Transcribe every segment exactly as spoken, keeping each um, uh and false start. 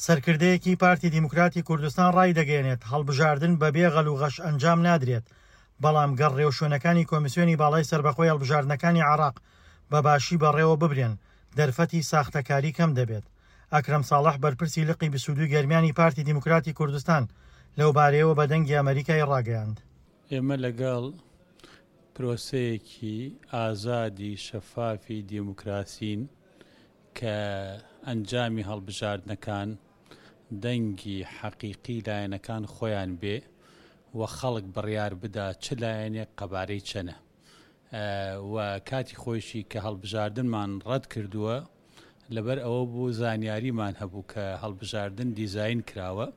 سەرکردەیەکی پارتی دیموکراتی کوردستان ڕایدەگەیەنێت، هەڵبژاردن بەبێ غەل و غەش ئەنجام نادرێت، بەڵام گەر ڕێوشوێنەکانی کۆمیسیۆنی باڵای سەربەخۆی هەڵبژاردنەکانی عێراق بە باشی بەڕێوە ببرێن، دەرفەتی ساختەکاری کەم دەبێت. ئەکرەم ساڵح بەرپرسی لقی بیست و دوو گەرمیانی پارتی دیموکراتی کوردستان لەوبارەیەوە بە دەنگی ئەمەریکای ڕاگەیاند. ئێمە لەگەڵ پرۆسەیەکی ئازادی شەفافی دیموکراسین کە ئەنجامی هەڵبژاردنەکان دەنگی حەقیقی لایەنەکان خۆیان بێ و خەڵک بڕیار بدا چ لایەنێک قەبارەی چەنە و کاتی خۆیشی کە هەڵبژاردنمان ڕەت کردووە لەبەر ئەوە بوو زانیاریمان هەبوو کە هەڵبژاردن دیزاین کراوە.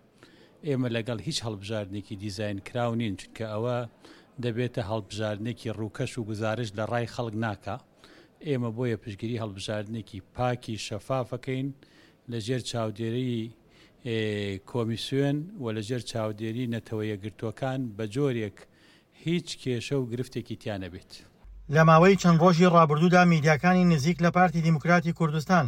ئێمە لەگەڵ هیچ هەڵبژاردنێکی دیزاین کراو نین، چونکە ئەوە دەبێتە هەڵبژاردنێکی ڕووکەش و گزارش لە ڕای خەڵک ناکا. ئێمە بۆیە پشتگیری هەڵبژاردنێکی پاکی شەفافەکەین لەژێر چاودێری کۆمیسیۆن و لەژێر چاودێری نەتەوە یەکگرتووەکان بە جۆرێک هیچ کێشە و گرفتێکی تیا نەبێت. لە ماوەی چەند ڕۆژی ڕابردوودا میدیاکانی نزیک لە پارتی دیموکراتی کوردستان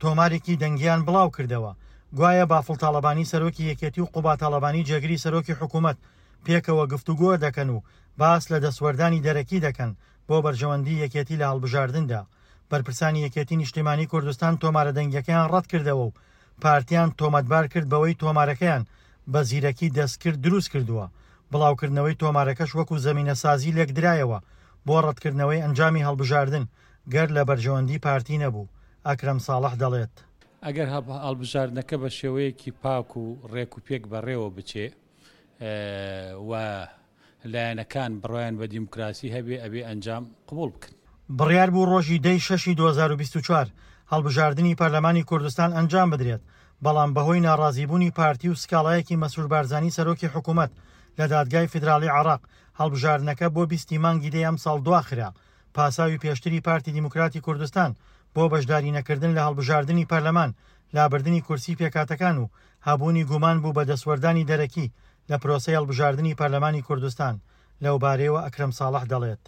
تۆمارێکی دەنگیان بڵاو کردەوە، گوایە بافڵ تاڵەبانی سەرۆکی یەکێتی و قوبا تاڵەبانی جێگری سەرۆکی حکوومەت پێکەوە گفتوگۆ دەکەن و باس لە دەستوەردانی دەرەکی دەکەن بۆ بەرژەوەندی یەکێتی لە هەڵبژاردندا. بەرپرسانی یەکێتی نیشتیمانی کوردستان تۆمارە دەنگیەکەیان ڕەت کردەوە و پارتیان تۆمەتبار کرد بەوەی تۆمارەکەیان بە زیرەکی دەستکرد دروست کردووە. بڵاوکردنەوەی تۆمارەکەش وەکو زەمینەسازی لێکدرایەوە بۆ ڕەتکردنەوەی ئەنجامی هەڵبژاردن گەر لە بەرژەوەندی پارتی نەبوو. ئەکرەم ساڵح دەڵێت: ئەگەر هەڵبژاردنەکە بە شێوەیەکی پاک و ڕێک و پێک بەڕێوە بچێ و لایەنەکان بڕوایان بە دیموکراسی هەبێ، ئەبێ ئەنجام قبوڵ بکەن. بڕیار بوو ڕۆژی دەی شەشی دوو هەزار و بیست و چوار هەڵبژاردنی پەرلەمانی کوردستان ئەنجام بدرێت، بەڵام بەهۆی ناڕازیبوونی پارتی و سکاڵایەکی مەسرور بارزانی سەرۆکی حکوومەت لە دادگای فیدراڵی عێراق هەڵبژاردنەکە بۆ بیستی مانگی دەی ئەمساڵ دواخرا. پاساوی پێشتری پارتی دیموکراتی کوردستان بۆ بەشداری نەکردن لە هەڵبژاردنی پەرلەمان، لابردنی کورسی پێکاتەکان و هەبوونی گومان بوو بە دەستوەردانی دەرەکی لە پرۆسەی هەڵبژاردنی پەرلەمانی کوردستان. لەوبارەیەوە ئەکرەم ساڵح دەڵێت: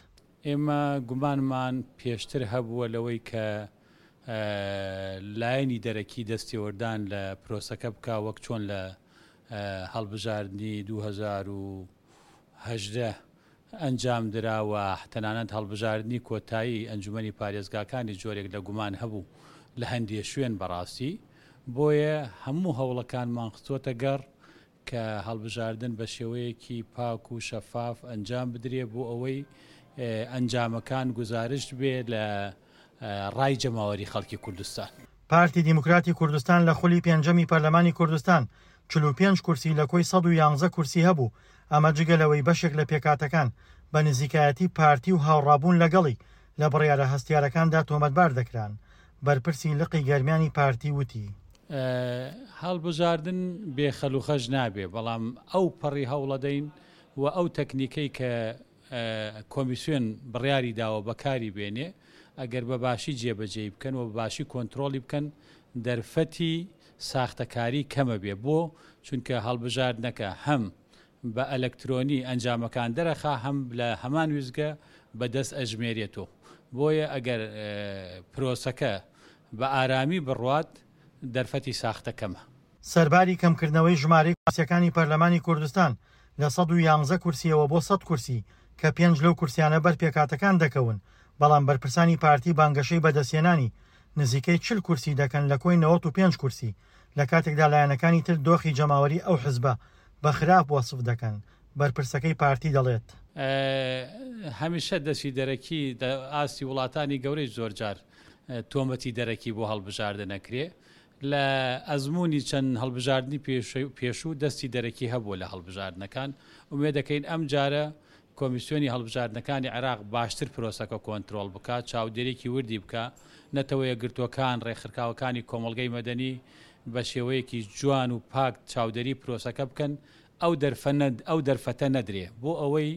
ئێمە گومانمان پێشتر هەبووە لەوەی کە لایەنی دەرەکی دەستێوەردان لە پرۆسەکە بکا، وەک چۆن لە هەڵبژاردنی دوو هەزار و هەژدە ئەنجام درا و تەنانەت هەڵبژاردنی کۆتایی ئەنجومەنی پارێزگاکانی جۆرێک لە گومان هەبوو لە هەندێ شوێن بەڕاستی. بۆیە هەموو هەوڵەکانمان خستووەتە گەڕ کە هەڵبژاردن بە شێوەیەکی پاک و شەفاف ئەنجام بدرێ بۆ ئەوەی ئەنجامەکان گزارشت بێ لە ڕای جەماوەری خەڵکی کوردستان. پارتی دیموکراتی کوردستان لە خولی پێنجەمی پەرلەمانی کوردستان چل و پێنج کورسی لە کۆی سەد و یانزە کورسی هەبوو، ئەمە جگە لەوەی بەشێک لە پێکاتەکان بە نزیکایەتی پارتی و هاوڕابوون لەگەڵی لە بڕیارە هەستیارەکاندا تۆمەتبار دەکران. بەرپرسی لقی گەرمیانی پارتی وتی: هەڵبژاردن بێخەل و خەش نابێ، بەڵام ئەو پەڕی هەوڵەدەین و ئەو تەکنیکەی کە کۆمیسیۆن بڕیاری داوە بەکاری بێنێ، ئەگەر بە باشی جێبەجێی بکەن و بە باشی کۆنترۆڵی بکەن، دەرفەتی ساختەکاری کەمە بێ. بۆ چونکە هەڵبژاردنەکە هەم بە ئەلکترۆنی ئەنجامەکان دەرەخا، هەم لە هەمان ویزگە بەدەست ئەژمێرێتەوە. بۆیە ئەگەر پرۆسەکە بە ئارامی بڕوات، دەرفەتی ساختە کەمە. سەرباری کەمکردنەوەی ژمارەی کورسیەکانی پەرلەمانی کوردستان لە سەد و یانزە کورسیەوە بۆ سەد کورسی کە پێنج لەو کورسیانە بەر پێکاتەکان دەکەون، بەڵام بەرپرسانی پارتی بانگەشەی بەدەستهێنانی نزیکەی چل کورسی دەکەن لە کۆی نەوەت و پێنج کورسی، لە کاتێکدا لایەنەکانی تر دۆخی جەماوەری ئەو حزبە بە خراپ وەسف دەکەن. بەرپرسەکەی پارتی دەڵێت: هەمیشە دەستی دەرەکی ئاستی وڵاتانی گەورەی زۆرجار تۆمەتی دەرەکی بۆ هەڵبژاردن نەکرێ. لە ئەزمموی چەند هەڵبژاردنی پێشوو دەستی دەرەکی هەبووە لە هەڵبژاردنەکان. ئومێد دەکەین ئەم جارە کۆمیسیۆنی هەڵبژاردنەکانی عێراق باشتر پرۆسەکە کۆنترۆڵ بکات، چاودێرێکی وردی بکە، نەتەوە یەکگرتووەکان، ڕێکخراوەکانی کۆمەڵگەی مەدەنی بە شێوەیەکی جوان و پاک چاودێری پرۆسەکە بکەن، ئەو ئەو دەرفەتە نەدرێ بۆ ئەوەی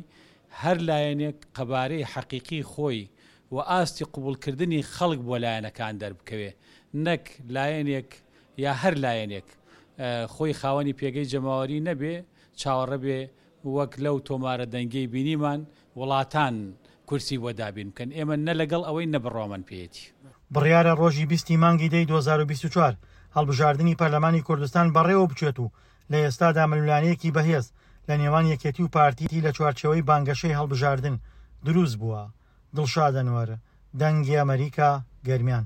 هەر لایەنێک قەبارەی حەقیقی خۆی و ئاستی قبوڵکردنی خەڵک بۆ لایەنەکان دەربکەوێ، نەک لایەنێک یا هەر لایەنێک خۆی خاوەنی پێگەی جەماوەری نەبێ، چاوەڕێ بێ وەک لەو تۆمارە دەنگەی بینیمان وڵاتان کورسی بۆ دابین بکەن. ئێمە نە لەگەڵ ئەوەی نەبڕۆمان پێیەتی. بڕیارە ڕۆژی بیستی مانگی دەی دوو هەزار و بیست و چوار هەڵبژاردنی پەرلەمانی کوردستان بەڕێوە بچێت و لە ئێستادا ململانێیەکی بەهێز لە نێوان یەکێتی و پارتی لە چوارچێوەی بانگەشەی هەڵبژاردن دروست بووە. دڵشاد ئەنوەر، دەنگی ئەمەریکا، گەرمیان.